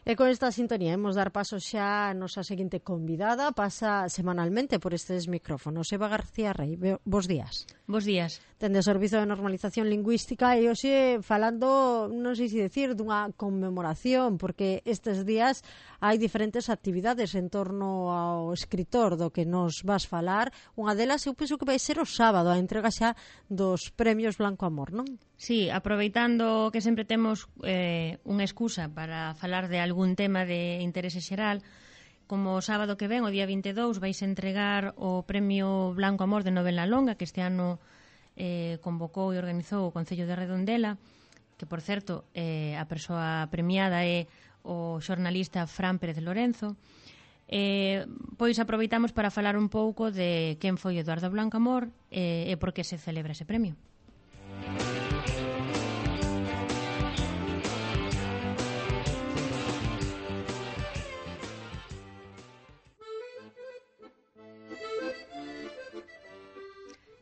E con esta sintonía hemos dar paso xa a nosa seguinte convidada. Pasa semanalmente por estes micrófonos. Eva García Rey, bos días. Bos días. Tende o Servizo de Normalización Lingüística e hoxe falando, non sei se decir, dunha conmemoración, porque estes días hai diferentes actividades en torno ao escritor do que nos vas falar. Unha delas eu penso que vai ser o sábado, a entrega xa dos premios Blanco Amor, non? Sí, aproveitando que sempre temos unha excusa para falar de algún tema de interese xeral, como o sábado que ven, o día 22, vais entregar o Premio Blanco Amor de novela longa, que este ano convocou e organizou o Concello de Redondela, que, por certo, a persoa premiada é o xornalista Fran Pérez Lorenzo. Pois aproveitamos para falar un pouco de quen foi Eduardo Blanco Amor e por que se celebra ese premio.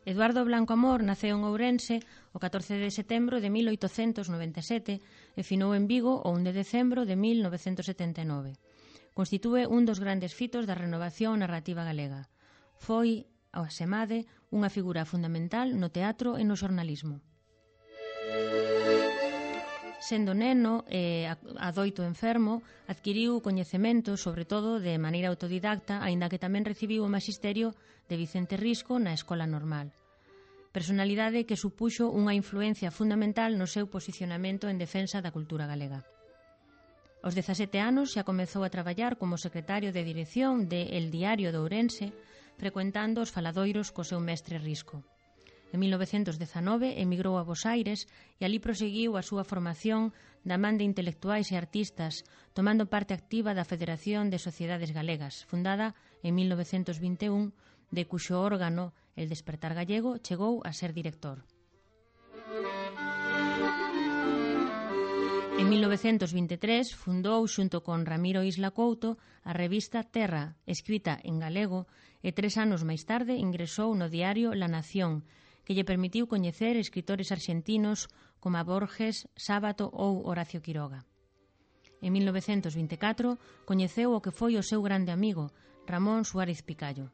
Eduardo Blanco Amor naceu en Ourense o 14 de setembro de 1897 e finou en Vigo o 1 de decembro de 1979. Constitúe un dos grandes fitos da renovación narrativa galega. Foi, ao asemade, unha figura fundamental no teatro e no xornalismo. Sendo neno e adoito enfermo, adquiriu coñecementos, sobre todo de maneira autodidacta, aínda que tamén recibiu o maxisterio de Vicente Risco na Escola Normal. Personalidade que supuxo unha influencia fundamental no seu posicionamento en defensa da cultura galega. Aos 17 anos xa comezou a traballar como secretario de dirección de El Diario de Ourense, frecuentando os faladoiros co seu mestre Risco. En 1919 emigrou a Bos Aires e alí proseguiu a súa formación da man de intelectuais e artistas, tomando parte activa da Federación de Sociedades Galegas, fundada en 1921, de cuxo órgano, El Despertar Gallego, chegou a ser director. En 1923 fundou, xunto con Ramiro Isla Couto, a revista Terra, escrita en galego, e 3 anos máis tarde ingresou no diario La Nación, que lle permitiu coñecer escritores arxentinos como Borges, Sábato ou Horacio Quiroga. En 1924 coñeceu o que foi o seu grande amigo, Ramón Suárez Picallo.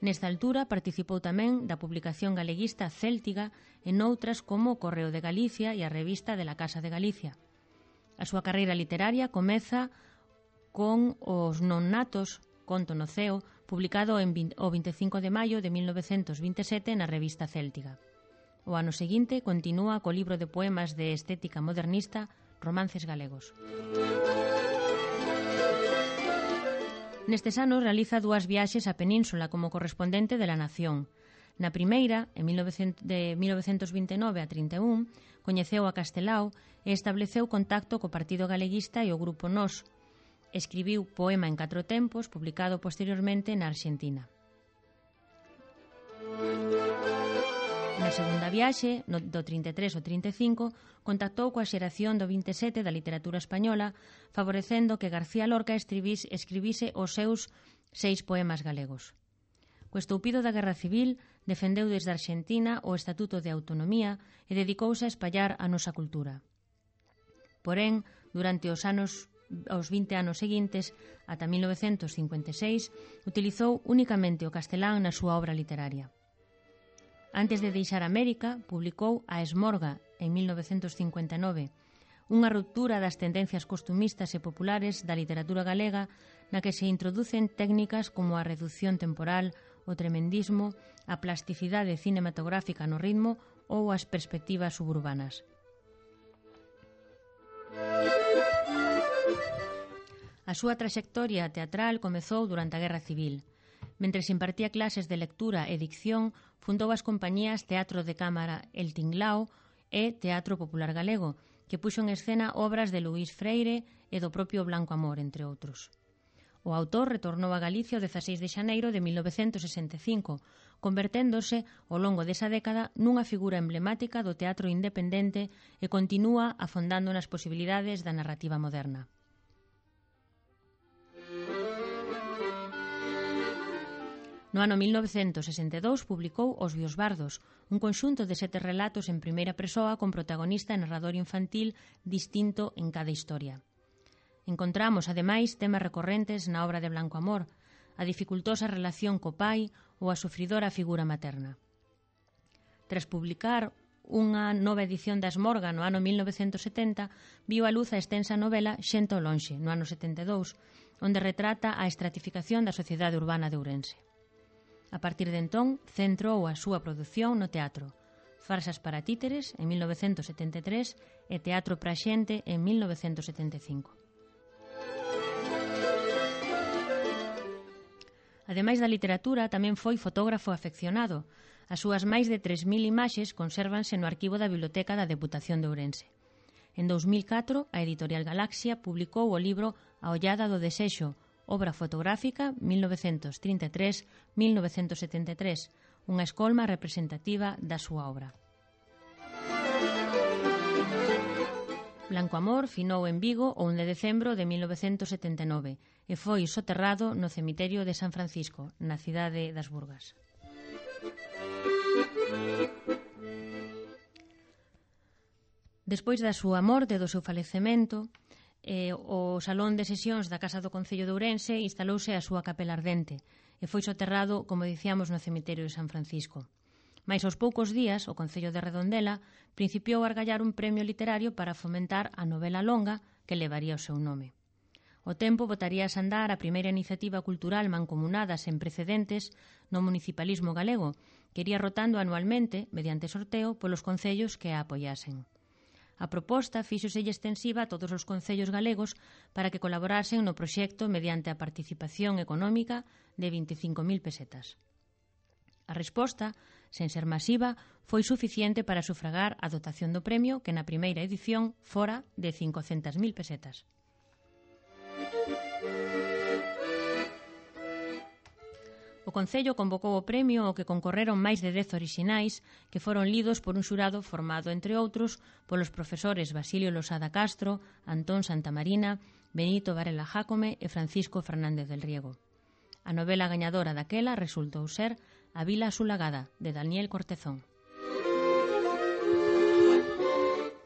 Nesta altura participou tamén da publicación galeguista Céltiga e noutras como o Correo de Galicia e a revista de la Casa de Galicia. A súa carreira literaria comeza con Os non natos, conto no ceo, publicado o 25 de maio de 1927 na revista Céltiga. O ano seguinte continúa co libro de poemas de estética modernista Romances galegos. Nestes anos realiza 2 viaxes á Península como correspondente de La Nación. Na primeira, de 1929 a 31, coñeceu a Castelao e estableceu contacto co Partido Galeguista e o Grupo Nós. Escribiu Poema en 4 tempos, publicado posteriormente na Arxentina. Na segunda viaxe, do 33 ao 35, contactou coa xeración do 27 da literatura española, favorecendo que García Lorca escribise os seus 6 poemas galegos. Co estoupido da Guerra Civil, defendeu desde Arxentina o Estatuto de Autonomía e dedicouse a espallar a nosa cultura. Porén, durante os 20 anos seguintes, ata 1956, utilizou únicamente o castelán na súa obra literaria. Antes de deixar América, publicou A Esmorga, en 1959, unha ruptura das tendencias costumistas e populares da literatura galega na que se introducen técnicas como a reducción temporal, o tremendismo, a plasticidade cinematográfica no ritmo ou as perspectivas suburbanas. A súa traxectoria teatral comezou durante a Guerra Civil. Mentres impartía clases de lectura e dicción, fundou as compañías Teatro de Cámara El Tinglao e Teatro Popular Galego, que puxo en escena obras de Luís Freire e do propio Blanco Amor, entre outros. O autor retornou a Galicia o 16 de xaneiro de 1965, converténdose, ao longo desa década, nunha figura emblemática do teatro independente e continúa afondando nas posibilidades da narrativa moderna. No ano 1962 publicou Os Biosbardos, un conxunto de 7 relatos en primeira persoa con protagonista e narrador infantil distinto en cada historia. Encontramos, ademais, temas recorrentes na obra de Blanco Amor, a dificultosa relación co pai ou a sufridora figura materna. Tras publicar unha nova edición das Morga no ano 1970, viu a luz a extensa novela Xente ao lonxe, no ano 72, onde retrata a estratificación da sociedade urbana de Ourense. A partir de entón, centrou a súa produción no teatro, Farsas para títeres, en 1973, e Teatro para xente, en 1975. Ademais da literatura, tamén foi fotógrafo afeccionado. As súas máis de 3.000 imaxes consérvanse no arquivo da Biblioteca da Deputación de Ourense. En 2004, a editorial Galaxia publicou o libro A ollada do desexo, obra fotográfica 1933-1973, unha escolma representativa da súa obra. Blanco Amor finou en Vigo o 1 de decembro de 1979 e foi soterrado no cemiterio de San Francisco, na cidade das Burgas. Despois da súa morte e do seu falecemento, o Salón de Sesións da Casa do Concello de Ourense instalouse a súa capela ardente e foi soterrado, como dicíamos, no cemiterio de San Francisco. Mais aos poucos días, o Concello de Redondela principiou a argallar un premio literario para fomentar a novela longa que levaría o seu nome. O tempo botaría a andar a primeira iniciativa cultural mancomunada sen precedentes no municipalismo galego, que iría rotando anualmente, mediante sorteo, polos concellos que a apoiasen. A proposta fíxoselle extensiva a todos os concellos galegos para que colaborasen no proxecto mediante a participación económica de 25.000 pesetas. A resposta, sen ser masiva, foi suficiente para sufragar a dotación do premio que na primeira edición fora de 500.000 pesetas. O Concello convocou o premio ao que concorreron máis de 10 orixinais que foron lidos por un xurado formado, entre outros, polos profesores Basilio Losada Castro, Antón Santamarina, Benito Varela Jácome e Francisco Fernández del Riego. A novela gañadora daquela resultou ser A Vila Asulagada, de Daniel Cortezón.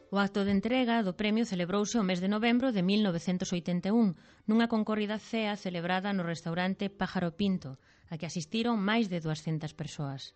O acto de entrega do premio celebrouse o mes de novembro de 1981 nunha concorrida cea celebrada no restaurante Pájaro Pinto, a que asistiron máis de 200 persoas.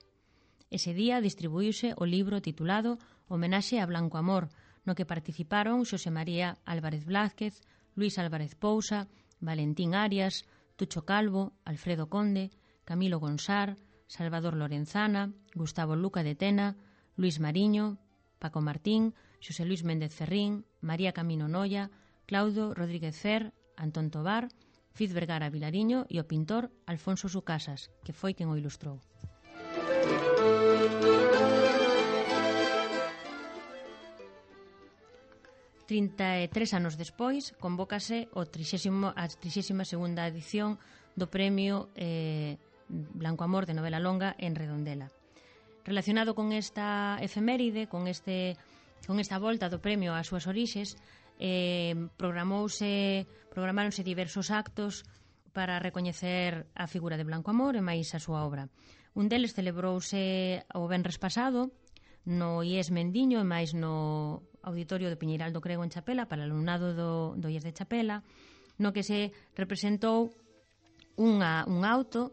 Ese día distribuíuse o libro titulado Homenaxe a Blanco Amor, no que participaron Xosé María Álvarez Blázquez, Luis Álvarez Pousa, Valentín Arias, Tucho Calvo, Alfredo Conde, Camilo Gonsar, Salvador Lorenzana, Gustavo Luca de Tena, Luis Mariño, Paco Martín, Xosé Luis Méndez Ferrín, María Camino Noia, Claudio Rodríguez Fer, Antón Tobar, Fiz Vergara Vilariño e o pintor Alfonso Sucasas, que foi quen o ilustrou. Tres anos despois, convócase a 32ª edición do Premio Blanco Amor de novela longa en Redondela. Relacionado con esta efeméride, con esta volta do premio ás súas orixes, programáronse diversos actos para recoñecer a figura de Blanco Amor e máis a súa obra. Un deles celebrouse o venres pasado no IES Mendiño e máis no Auditorio de Piñeiral do Crego en Chapela para o alumnado do IES de Chapela, no que se representou un auto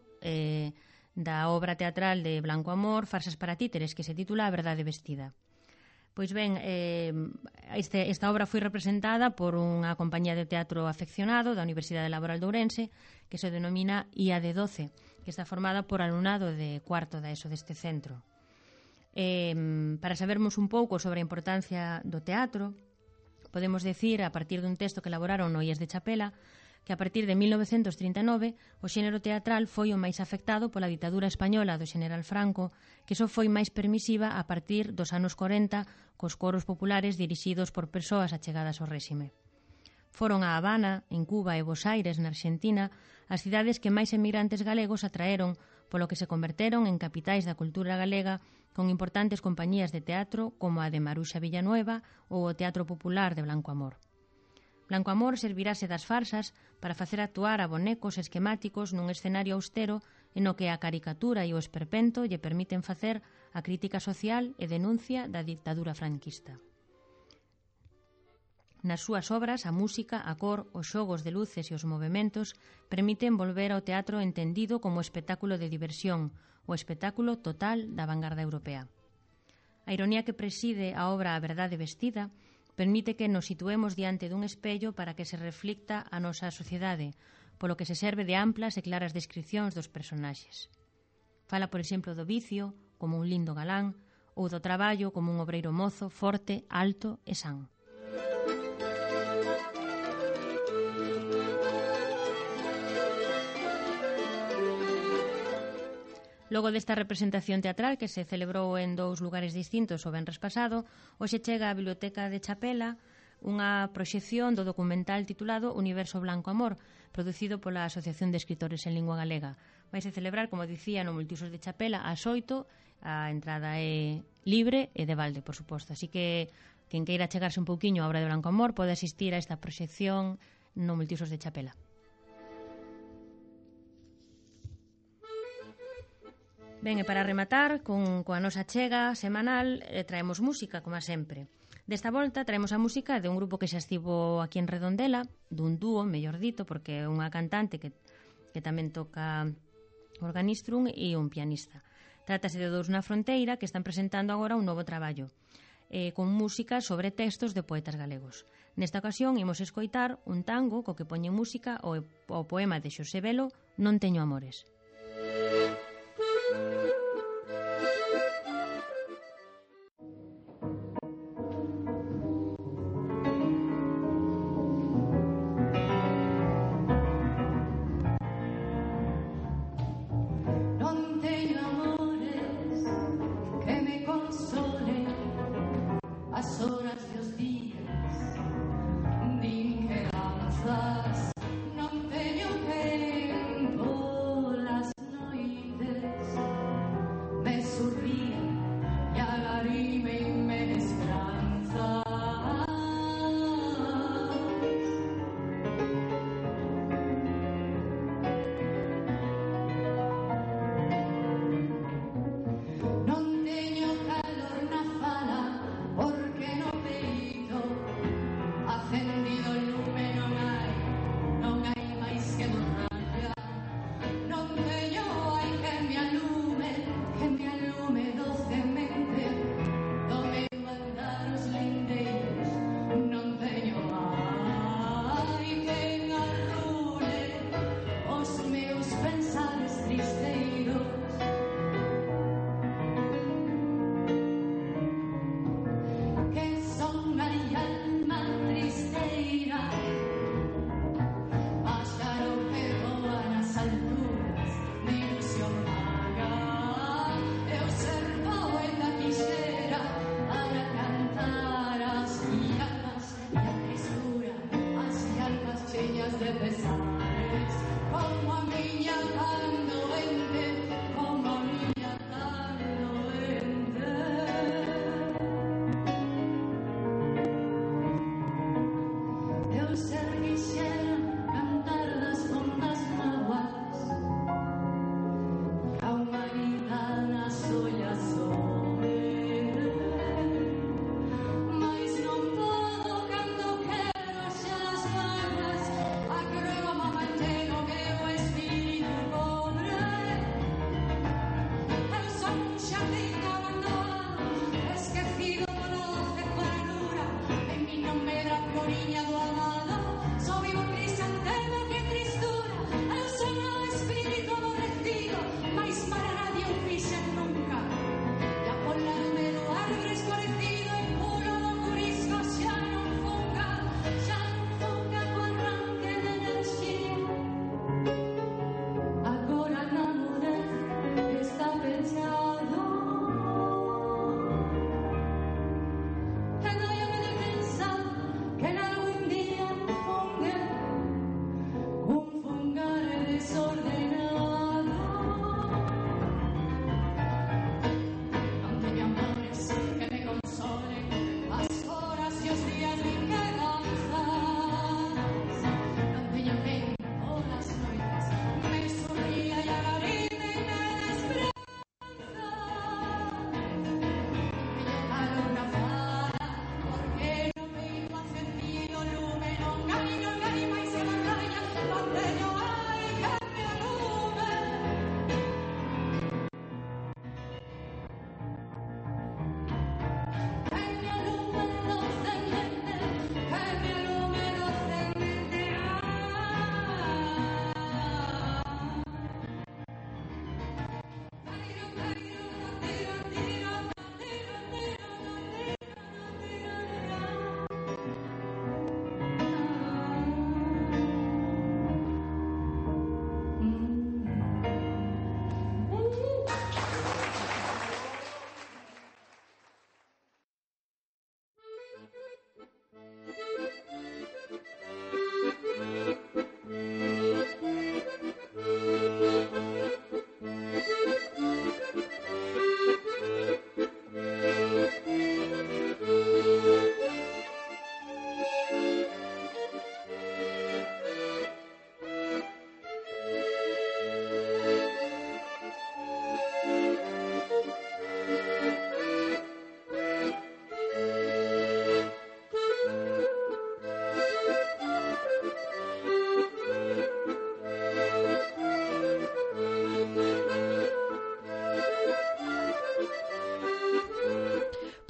da obra teatral de Blanco Amor, Farsas para títeres, que se titula A verdade vestida. Pois ben, esta obra foi representada por unha compañía de teatro afeccionado da Universidade Laboral de Ourense, que se denomina IAD12, que está formada por alumnado de cuarto da ESO deste centro. Para sabermos un pouco sobre a importancia do teatro, podemos decir, a partir dun texto que elaboraron no IES de Chapela, que a partir de 1939 o xénero teatral foi o máis afectado pola ditadura española do xeneral Franco, que só foi máis permisiva a partir dos anos 40 cos coros populares dirixidos por persoas achegadas ao réxime. Foron a Habana, en Cuba e Buenos Aires, na Argentina, as cidades que máis emigrantes galegos atraeron, polo que se converteron en capitais da cultura galega con importantes compañías de teatro como a de Maruxa Villanueva ou o Teatro Popular de Blanco Amor. Blanco Amor servirase das farsas para facer actuar a bonecos esquemáticos nun escenario austero en o que a caricatura e o esperpento lle permiten facer a crítica social e denuncia da ditadura franquista. Nas súas obras, a música, a cor, os xogos de luces e os movementos permiten volver ao teatro entendido como espectáculo de diversión, o espectáculo total da vanguarda europea. A ironía que preside a obra A verdade vestida permite que nos situemos diante dun espello para que se reflicta a nosa sociedade, polo que se serve de amplas e claras descripcións dos personaxes. Fala, por exemplo, do vicio como un lindo galán ou do traballo como un obreiro mozo, forte, alto e san. Logo desta representación teatral que se celebrou en 2 lugares distintos o venres pasado, hoxe chega á Biblioteca de Chapela unha proxección do documental titulado Universo Blanco Amor, producido pola Asociación de Escritores en Lingua Galega. Vaise celebrar, como dicía, no Multiusos de Chapela ás 8, a entrada é libre e de balde, por suposto. Así que quen queira chegarse un pouquiño á obra de Blanco Amor pode asistir a esta proxección no Multiusos de Chapela. Ben, e para rematar, coa nosa chega semanal, traemos música, como sempre. Desta volta traemos a música de un grupo que xa estivo aquí en Redondela, dun dúo, mellor dito, porque é unha cantante que tamén toca organistrum e un pianista. Trátase de Dous na Fronteira, que están presentando agora un novo traballo, con música sobre textos de poetas galegos. Nesta ocasión imos escoitar un tango co que poñen música o poema de Xosé Velo, Non teño amores. Non teño calor na fala porque non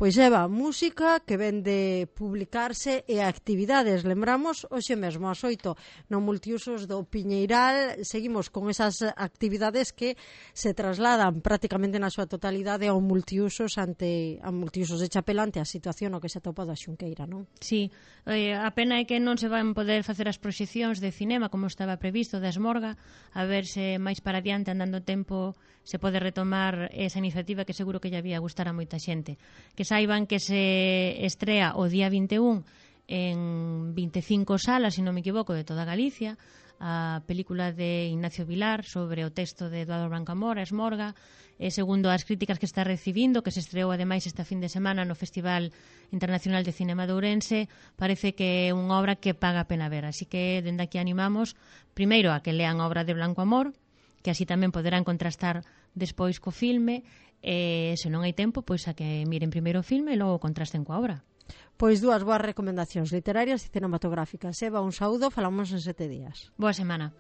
Pois Eva, música que ven de publicarse e actividades. Lembramos, hoxe mesmo ás 8 no Multiusos do Piñeiral seguimos con esas actividades que se trasladan prácticamente na súa totalidade ao Multiusos ante a Multiusos de Chapela ante a situación no que se atopa da Xunqueira, non? Sí, a pena é que non se van poder facer as proxeccións de cinema como estaba previsto da Esmorga, a ver se máis para adiante andando tempo se pode retomar esa iniciativa que seguro que lle había gustar a moita xente. Que saiban que se estrea o día 21 en 25 salas, se non me equivoco, de toda Galicia, a película de Ignacio Vilar sobre o texto de Eduardo Brancamora, Esmorga, segundo as críticas que está recibindo, que se estreou ademais esta fin de semana no Festival Internacional de Cinema de Ourense, parece que é unha obra que paga a pena ver. Así que, dende aquí animamos, primeiro, a que lean a obra de Blanco Amor, que así tamén poderán contrastar despois co filme, e se non hai tempo, pois a que miren primeiro o filme e logo contrasten coa obra. Pois dúas boas recomendacións literarias e cinematográficas. Eva, un saúdo, falamos en 7 días. Boa semana.